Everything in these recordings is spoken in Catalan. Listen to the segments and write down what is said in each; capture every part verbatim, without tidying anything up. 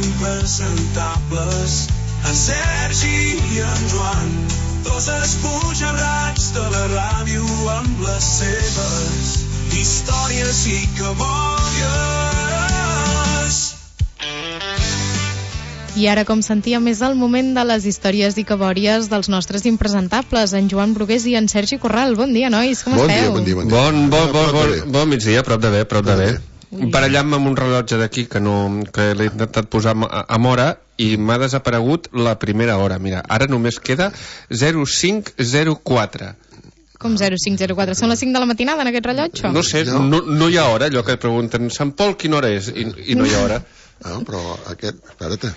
impresentables, en Sergi i en Joan, dos esbojarrats de la ràdio amb les seves històries i cabòries. I ara, com sentíem, és el moment de les històries i cabòries dels nostres impresentables, en Joan Brugués i en Sergi Corral. Bon dia, nois, com bon esteu? Dia, bon dia, bon dia. Bon, bon, bon, bon, bon migdia, prop de bé, prop de bé. Ui. Barallant-me amb un rellotge d'aquí que, no, que l'he intentat posar amb hora i m'ha desaparegut la primera hora. Mira, ara només queda zero cinc zero quatre. Com zero cinc zero quatre? Són les cinc de la matinada en aquest rellotge? No sé, no, no hi ha hora, allò que et pregunten, Sant Pol, quina hora és? I, i no hi ha hora. No, però aquest, espera't.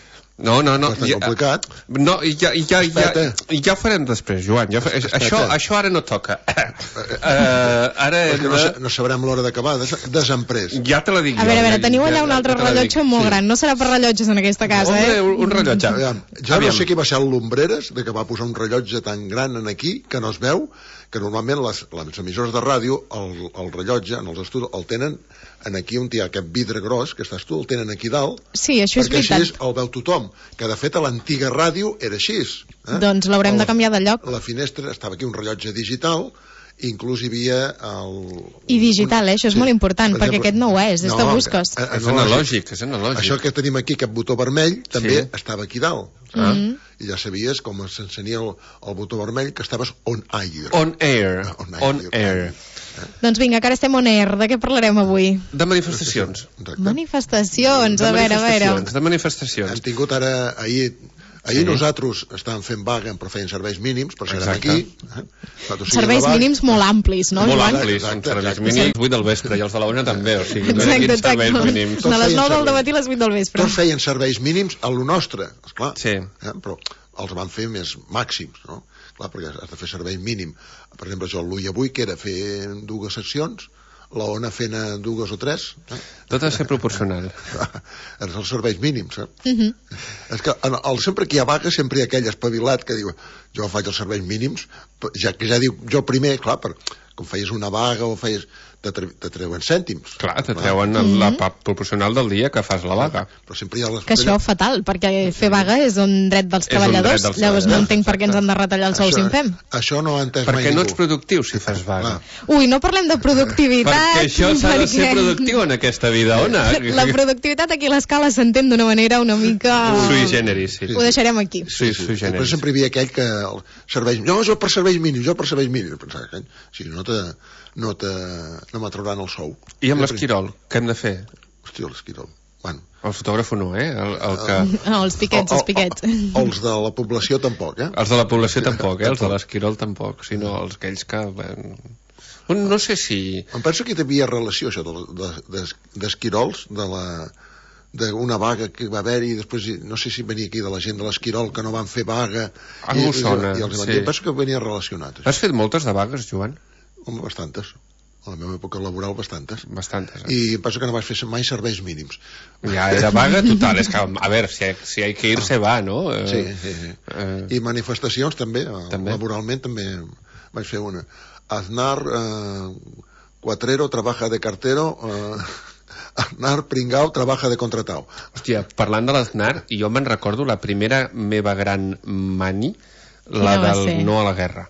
No, no, no. Bastant ja, complicat. No, ja, ja, ja, ja ho farem després, Joan. Ja, això, això ara no toca. uh, ara no, de... no sabrem l'hora d'acabar, des, desemprès. Ja te la dic a jo. A veure, a veure, teniu allà ja, un altre ja rellotge molt sí. gran. No serà per rellotges en aquesta casa, no, eh? Un, un rellotge. Aviam, jo Aviam. no sé qui va ser el Lumbreres, de que va posar un rellotge tan gran en aquí, que no es veu, que normalment les, les emissores de ràdio, el, el rellotge, en els estudis, el tenen en aquí on hi ha aquest vidre gros, que estàs tu, el tenen aquí dalt, sí, això és perquè veritat. així el veu tothom, que de fet a l'antiga ràdio era així. Eh? Doncs l'haurem de canviar de lloc. La finestra, estava aquí un rellotge digital, inclús hi havia el... I digital, eh? Això és sí. molt important, per perquè exemple, aquest no ho és, és no, de busques. A, a, és analògic, és analògic. Això que tenim aquí, aquest botó vermell, també sí. estava aquí dalt. Ah. Mm-hmm. I ja sabies com s'encenia el, el botó vermell, que estaves on air. On air. Ah, on air. On air. Eh? Doncs vinga, que ara estem on air. De què parlarem avui? De manifestacions. Exacte. Manifestacions, de a veure, a veure. De manifestacions. Hem tingut ara, ahir... Ahir sí. nosaltres estàvem fent vaga, però feien serveis mínims, per ser aquí. Eh? Serveis mínims molt amplis, no? Molt amplis, són serveis mínims, vuit del vespre, i els de la una també, o sigui, no hi ha serveis mínims. De les nou del matí a les vuit del vespre. Tots feien serveis mínims a lo nostre, esclar. Sí. Eh? Però els van fer més màxims, no? Clar, perquè has de fer servei mínim. Per exemple, jo l'U I avui, que era fer dues seccions, la Ona fent dues o tres. Eh? Tot ha de ser proporcional. Els serveis mínims, eh? Uh-huh. És que en el, sempre que hi ha vaga, sempre hi ha aquell espavilat que diu, jo faig els serveis mínims, ja que ja diu, jo primer, clar, per, com feies una vaga o feies... te, tre te treuen cèntims. Clar, te treuen uh-huh. la part proporcional del dia que fas la vaga. Però sempre hi ha les... Que això és fatal, perquè fer vaga és un dret dels treballadors, dret dels llavors no entenc per què ens han de retallar els sous si en fem. Això no ho ha entès perquè mai ningú. No ets productiu si fas vaga. Ui, no parlem de productivitat. Perquè això s'ha de ser productiu en aquesta vida, Ona. La productivitat aquí a l'escala s'entén d'una manera una mica... Sui generis, sí. Ho deixarem aquí. Sí, sui generis. Però sempre hi havia aquell que serveis... Jo, jo per serveis mínims, jo per serveis mínims. Pensava que si no te... no te... no m'atrauran el sou. I amb l'Esquirol, què hem de fer? Hòstia, l'Esquirol. Bueno. El fotògrafo no, eh? El, el que... No, els piquets, els piquets. Els de la població tampoc, eh? Els de la població tampoc, eh? Els de l'Esquirol tampoc, sinó els aquells que... No sé si... Em penso que hi havia relació, això, d'Esquirols, de la... d'una vaga que va haver-hi, després no sé si venia aquí de la gent de l'Esquirol que no van fer vaga. Algú sona, i, i els sí. Penso que venia relacionat. Has fet moltes de vagues, Joan? Home, bastantes. A la meva època laboral, bastantes. Bastantes, eh? I em penso que no vaig fer mai serveis mínims. Ja era vaga total. És que, a veure, si, si hi ha que ir, se va, no? Sí, sí, sí. Eh... I manifestacions també, també, laboralment també vaig fer una. Aznar, eh, Cuatrero, trabaja de cartero... Eh... Aznar, pringao, trabaja de contratao. Hòstia, parlant de l'Aznar, jo me'n recordo la primera meva gran mani, la del no a la guerra.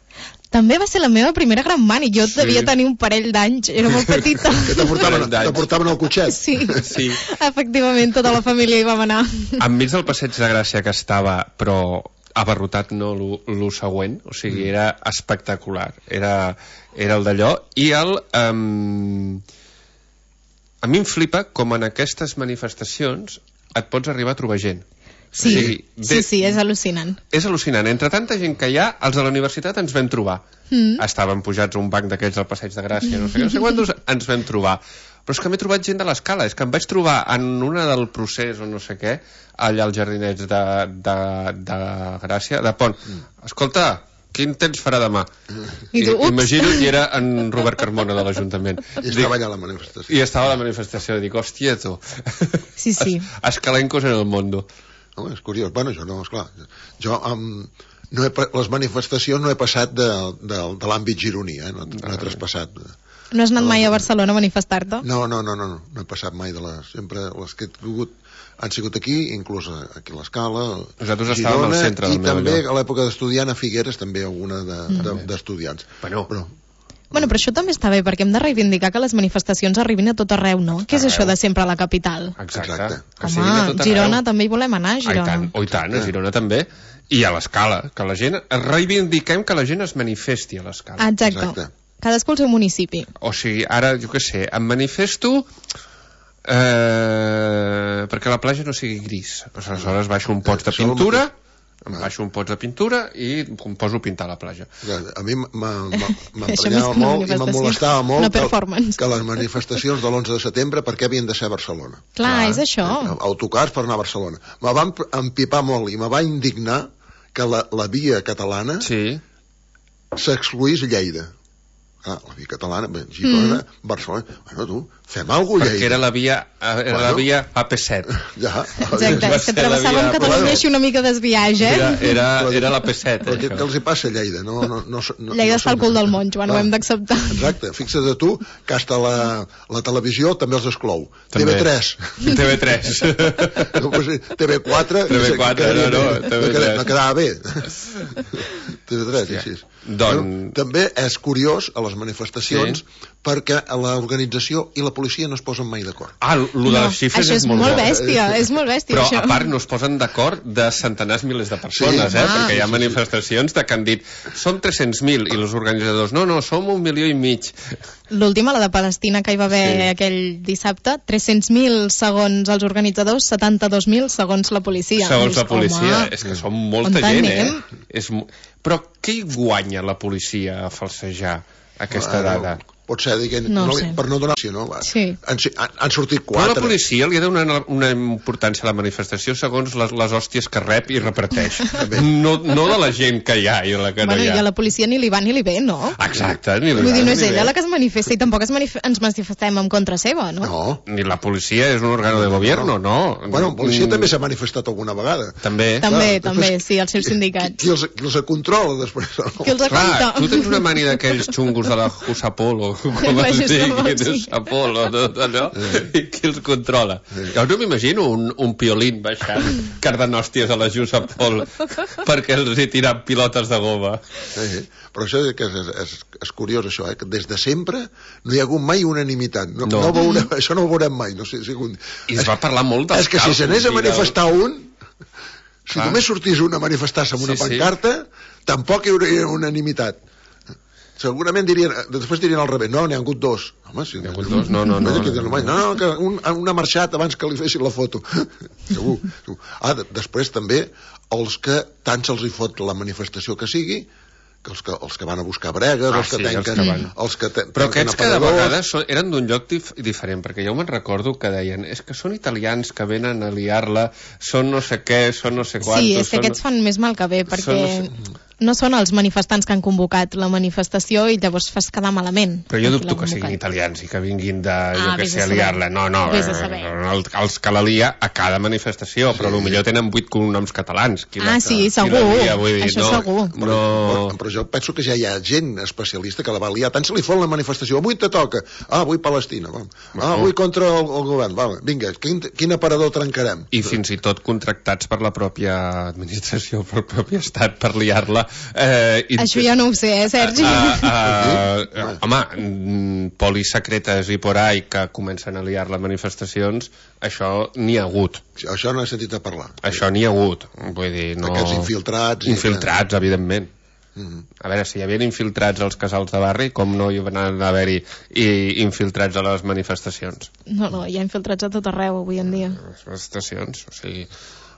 També va ser la meva primera gran mani. Jo sí. devia tenir un parell d'anys, era molt petita. Que te portaven, te portaven al cotxet. Sí. sí, efectivament, tota la família hi vam anar. Enmig del Passeig de Gràcia que estava, però abarrotat no lo següent, o sigui, era espectacular. Era, era el d'allò. I el... Um, a mi em flipa com en aquestes manifestacions et pots arribar a trobar gent. Sí, sí, de... sí, sí, és al·lucinant. És al·lucinant. Entre tanta gent que hi ha, els de la universitat ens vam trobar. Mm. Estàvem pujats a un banc d'aquells al Passeig de Gràcia, no sé, no sé quantos ens vam trobar. Però és que m'he trobat gent de l'escala, és que em vaig trobar en una del procés o no sé què, allà als jardinets de, de, de Gràcia, de Pont. Mm. Escolta, quin temps farà demà? I tu, ups! Imagina't que era en Robert Carmona de l'Ajuntament. I estava allà a la manifestació. I estava a la manifestació, dic, hòstia, tu. Sí, sí. Es, escalencos en el mundo. Home, és curiós. Bueno, jo no, esclar. Jo, um, no he, les manifestacions no he passat de, de, de l'àmbit gironí, eh? No, no he traspassat. No has anat mai a Barcelona a manifestar-te? No, no, no, no, no, no he passat mai de les... Sempre les que he tingut han sigut aquí, inclús aquí a l'Escala, Nosaltres estàvem al centre del i meu també lloc. a l'època d'estudiant a Figueres, també alguna d'estudiants. De, de, Bueno, Però, Bueno, però això també està bé, perquè hem de reivindicar que les manifestacions arribin a tot arreu, no? Què és Arreu. això de sempre a la capital? exacte. Exacte. Que siguin a Home, tot Girona arreu. també hi volem anar, Ah, i Girona. tant, oh, i tant, a Girona també. I a l'Escala, que la gent... Reivindiquem que la gent es manifesti a l'Escala. Exacte. Exacte. Cadascú al seu municipi. O sigui, ara, jo què sé, em manifesto eh, perquè la platja no sigui gris. Aleshores baixo un pots de Això és el pintura, mateix. em baixo un pots de pintura i em poso a pintar la platja. A mi Això m'emprenyava més que una molt i me manifestació, molestava molt una que, performance. que les manifestacions de l'onze de setembre per què havien de ser a Barcelona. Clar, Clar. és això. Autocars per anar a Barcelona. Me va empipar molt i me va indignar que la, la via catalana Sí. s'excluís Lleida. Ah, la via catalana, bé, Girona, mm. Barcelona... Bueno, tu, fem alguna cosa, Perquè Lleida. era la via, era Bueno. la via A P set. Ja, Exacte, Va és que ser la travessàvem via- Catalunya Bueno. així una mica desviatge, eh? Era, era, era la P set. Però què, això. què els hi passa a Lleida? No, no, no, no, Lleida no està al cul del món, Joan, ho Ah, hem d'acceptar. Exacte, fixa't de tu que hasta la, la televisió també els exclou. També. T V tres. T V tres. No, pues, T V quatre. T V quatre, quedaria no, no, bé. T V tres. quedava- no quedava bé. T V tres, Hòstia. així. Doncs- Bueno, també és curiós a les manifestacions Sí. perquè l'organització i la policia no es posen mai d'acord. Ah, el de No, les xifres això és molt bo. bèstia, és molt bèstia, Però això. a part no es posen d'acord de centenars milers de persones, Sí. eh? Ah. Perquè hi ha Sí, sí, sí. manifestacions de que han dit som tres-cents mil i els organitzadors no, no, som un milió i mig. L'última, la de Palestina, que hi va haver Sí. aquell dissabte, tres-cents mil segons els organitzadors, setanta-dos mil segons la policia. Segons Dius, la policia, home, és que són molta on gent, anem? eh? És... mo- Però què hi guanya la policia a falsejar aquesta Ah, dada? no, pot ser dient, No no, ho sé. per no donar no? Va. Sí. Han, han, han sortit Però quatre. la policia li ha de donar una importància a la manifestació segons les, les hòsties que rep i reparteix. no, no de la gent que hi ha i de la que Bueno, no hi i ha. a la policia ni li va ni li ve, no? Exacte. Ni Vull dir, no és ni ella bé. la que es manifesta i tampoc es manif ens manifestem en contra seva, no? No. Ni la policia és un òrgano de gobierno, no. Bueno, la policia Mm, també s'ha manifestat alguna vegada. També. També, Clar, també, després, sí, els seus qui- sindicats. Qui, qui, els, qui els controla després? No? Qui els Clar, aguanta? tu tens una mania d'aquells xungos de la Jusapol o com La es Jusapol, digui, sí. Jusapol o tot allò, i qui els controla. Jo no m'imagino un, un piolín baixant cardanòsties a la Jusapol perquè els hi tiran pilotes de goma. Sí, però això és, que és, és, és curiós, això, eh? Que des de sempre no hi ha hagut mai unanimitat. No, No. no. veurem, això no ho veurem mai. No sé, si un... I es va parlar molt dels És que si s'anés a càlculs i del- manifestar un, si Clar. només sortís un a manifestar-se amb una Sí, sí. pancarta, tampoc hi hauria unanimitat. Segurament dirien, després dirien al revés, no, n'hi ha hagut dos. Home, si N'hi ha hagut dos? No, no, no. No, no, no, que un, un ha marxat abans que li fessin la foto. Segur, segur. Ah, de, després també, els que tant se'ls hi fot la manifestació que sigui, que els que, els que van a buscar bregues, Ah, els que sí, els tanquen... que van. Els que te, Però tanquen aquests cada aparadors. vegada són, eren d'un lloc dif diferent, perquè jo me'n recordo que deien és que són italians que venen a liar-la, són no sé què, són no sé quantos... Sí, és que són... aquests fan més mal que bé, perquè Són- no són els manifestants que han convocat la manifestació i llavors fas quedar malament. Però jo a qui dubto l'ha que siguin convocat. italians i que vinguin de, jo Ah, que vés sé, a a saber. liar-la. No, no, Vés a eh, saber. el, els que la lia a cada manifestació, però potser tenen vuit cognoms catalans. Qui la, Ah, sí, qui segur. la lia, vull dir, Això no, segur. No... Però, però jo penso que ja hi ha gent especialista que la va liar. Tant se li fot la manifestació. Avui te toca. Ah, avui Palestina. Va. Ah, avui contra el, el govern. Va, vinga, quin, quin aparador trencarem? I fins i tot contractats per la pròpia administració, per el propi estat, per liar-la. Eh, i... Això ja no ho sé, eh, Sergi? Uh, uh, uh, home, mm, polis secretes i por ahí que comencen a liar les manifestacions, això n'hi ha hagut. Això no he sentit a parlar. Això n'hi ha hagut. Vull dir, no... Aquests infiltrats... i- Infiltrats, evidentment. Mhm. A veure, si hi havia infiltrats als casals de barri, com no hi van haver-hi i infiltrats a les manifestacions? No, no, hi ha infiltrats a tot arreu avui en dia. Les manifestacions, o sigui...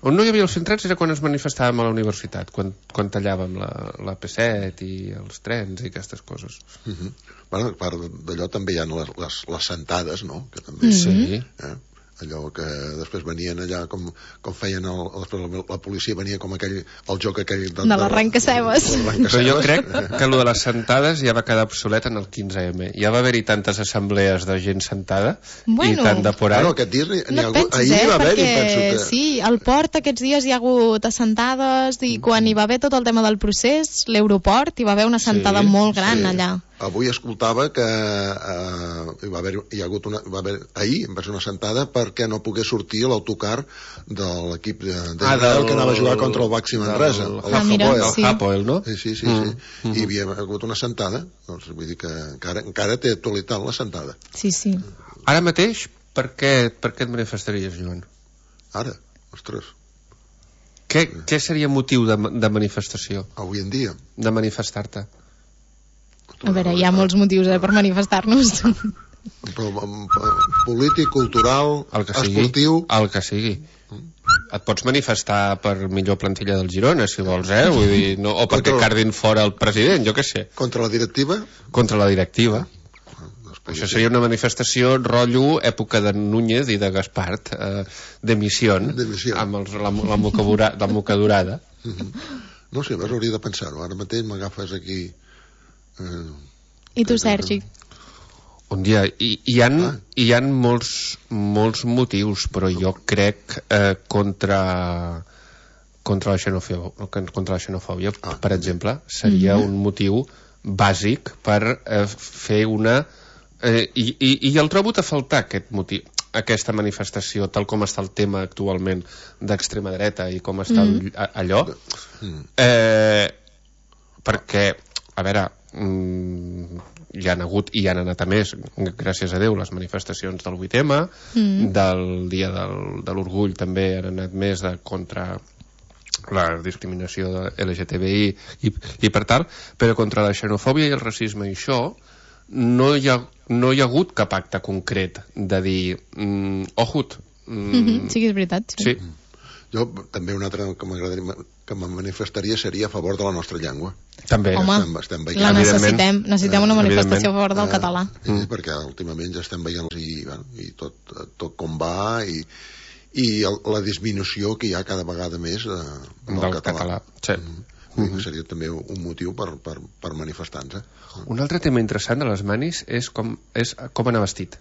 On no hi havia els infiltrats era quan ens manifestàvem a la universitat, quan, quan tallàvem la, la P set i els trens i aquestes coses. Mhm. Bueno, a part d'allò també hi ha les, les, les sentades, no? Que també, Sí. eh? Allò que després venien allà com, com feien el, la, la policia venia com aquell, el joc aquell de, De l'arrenca-cebes. Però jo crec que allò de les sentades ja va quedar obsolet en el quinze eme. Ja va haver-hi tantes assemblees de gent sentada Bueno. i tant de por ahí. Bueno, aquest dia n'hi n'hi No ha et hagut... pensis, Ahir eh? va haver-hi, Perquè penso que... sí, al port aquests dies hi ha hagut assentades i quan hi va haver tot el tema del procés, l'aeroport, hi va haver una assentada Sí, molt gran sí. allà. avui escoltava que eh, hi va haver, hi ha hagut una, va haver, ahir va ser una sentada perquè no pogués sortir l'autocar de l'equip de, de ah, del, que anava a jugar contra el Baxi Manresa, el, el ah, mira, Hapoel. sí. El Hapoel, no? Sí, sí, sí, mm. sí. Mm-hmm. I havia hagut una sentada, doncs vull dir que encara, encara té actualitat la sentada. Sí, sí. Ara mateix, per què, per què et manifestaries, Joan? Ara, ostres. Què, què seria motiu de, de manifestació? Avui en dia. De manifestar-te? A veure, hi ha molts motius eh, per manifestar-nos. Polític, cultural, el que sigui, esportiu... El que sigui. Et pots manifestar per millor plantilla del Girona, si vols, eh? Vull dir, no, o perquè cardin fora el president, jo què sé. Contra la directiva? Contra la directiva. Això seria una manifestació rotllo època de Núñez i de Gaspart, eh, d'emissió, amb els, la, la, mocadura, la mocadurada. Uh-huh. No sé, vas hauria de pensar-ho. Ara mateix m'agafes aquí... Eh, I tu, Sergi? Un dia, hi, hi, ha, ah. hi ha molts, molts motius, però jo crec eh, contra, contra, la xenofòbia, contra la xenofòbia, ah. per exemple, seria mm-hmm. un motiu bàsic per eh, fer una... Eh, i, i, I el trobo a faltar, aquest motiu, aquesta manifestació, tal com està el tema actualment d'extrema dreta i com està mm. allò, eh, perquè, a veure... Mm, hi han hagut i hi han anat a més, gràcies a Déu, les manifestacions del vuit eme, mm. del dia del, de l'orgull també han anat més de contra la discriminació de L G T B I i, i per tal, però contra la xenofòbia i el racisme i això no hi ha, no hi ha hagut cap acte concret de dir mm, ojut mm, mm-hmm. sí que és veritat, sí, sí. Jo també un altre que m'agradaria que me manifestaria seria a favor de la nostra llengua. També. Home, estem, estem veient, la necessitem, necessitem una manifestació a favor del eh, català. Sí, mm. perquè últimament ja estem veient i, bueno, i tot, tot com va i, i el, la disminució que hi ha cada vegada més de, del, del català. català. Sí. Mm. Mm-hmm. Seria també un motiu per, per, per manifestar-nos. Un altre tema interessant de les manis és com, és com anar vestit.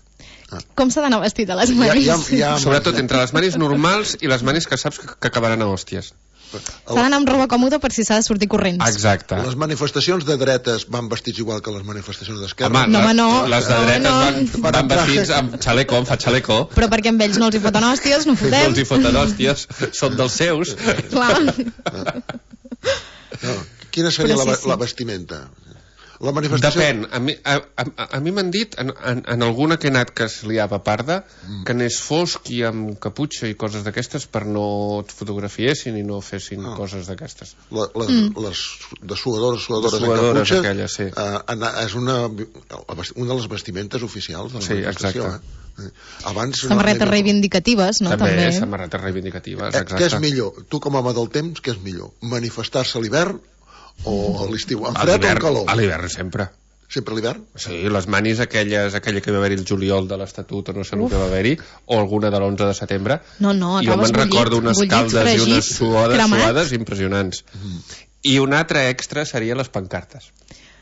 Ah. Com s'ha d'anar vestit a les manis? Ja, ja, ja, sobretot entre les manis normals i les manis que saps que, que acabaran a hòsties. S'ha d'anar amb roba còmoda per si s'ha de sortir corrents. Exacte. Les manifestacions de dretes van vestits igual que les manifestacions d'esquerra? Home, no, les, no, les de dretes no, van, no. van vestits amb xaleco, amb fa xaleco. Però perquè amb ells no els hi foten hòsties, no fotem. No els hi foten hòsties, són dels seus. Clar. No. Quina seria sí, la, sí. la vestimenta? La manifestació... Depèn. A mi, a, a, a mi m'han dit, en, en, en alguna que he anat que es liava parda, mm. que anés fosc i amb caputxa i coses d'aquestes per no et fotografiessin i no fessin oh. coses d'aquestes. La, les, mm. les de suadores, suadores, de suadores caputxa, aquelles, sí. eh, és una, una de les vestimentes oficials de la sí, manifestació. Exacte. Eh? Abans, samarretes no, reivindicatives, no? També, també. samarretes reivindicatives, eh, exacte. Què és millor? Tu com a home del temps, què és millor? Manifestar-se a l'hivern o a l'estiu? En fred o en calor? A l'hivern sempre. Sempre a l'hivern? Sí, les manis aquelles, aquella que va haver-hi el juliol de l'Estatut o no sé el que va haver-hi, o alguna de l'onze de setembre. No, no, jo me'n recordo unes bullit, caldes fregit, i unes suades, cremat. suades impressionants. Mm. I un altre extra seria les pancartes.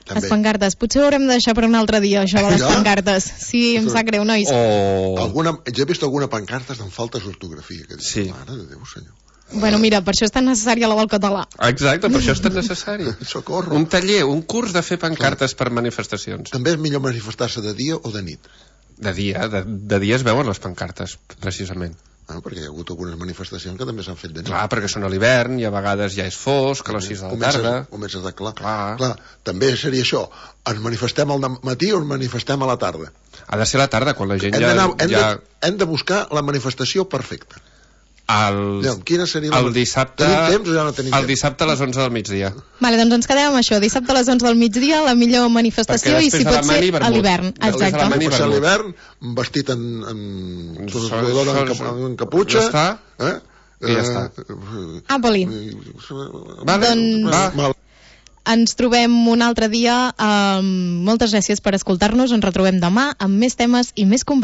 També. Les pancartes. Potser ho haurem de deixar per un altre dia, això de les ja? pancartes. Sí, em sap greu, nois. O... Alguna, jo he vist alguna pancarta amb faltes d'ortografia. Que dic, sí. Mare de Déu, senyor. Bueno, mira, per això és tan necessària la del català. Exacte, per això és tan necessari. Socorro. Un taller, un curs de fer pancartes per manifestacions. També és millor manifestar-se de dia o de nit? De dia, de, de dia es veuen les pancartes, precisament. Ah, perquè hi ha hagut algunes manifestacions que també s'han fet de nit. Clar, perquè són a l'hivern i a vegades ja és fosc, a les sis de la tarda. Comences a clar. Clar. clar. També seria això. Ens manifestem al matí o ens manifestem a la tarda? Ha de ser a la tarda, quan la gent hem ja... Hem, ja... de, hem de buscar la manifestació perfecta. El, ja, quina seria la... el dissabte tenim temps o ja no tenim el temps? dissabte a les onze del migdia. Vale, doncs ens quedem amb això, dissabte a les onze del migdia, la millor manifestació, i si pot ser a l'hivern. Exacte. Si pot ser a l'hivern, vestit en, en, en, en, en caputxa, eh? i ja està. Ah, Poli. Vale, doncs va. Ens trobem un altre dia. Um, moltes gràcies per escoltar-nos, ens retrobem demà amb més temes i més converses.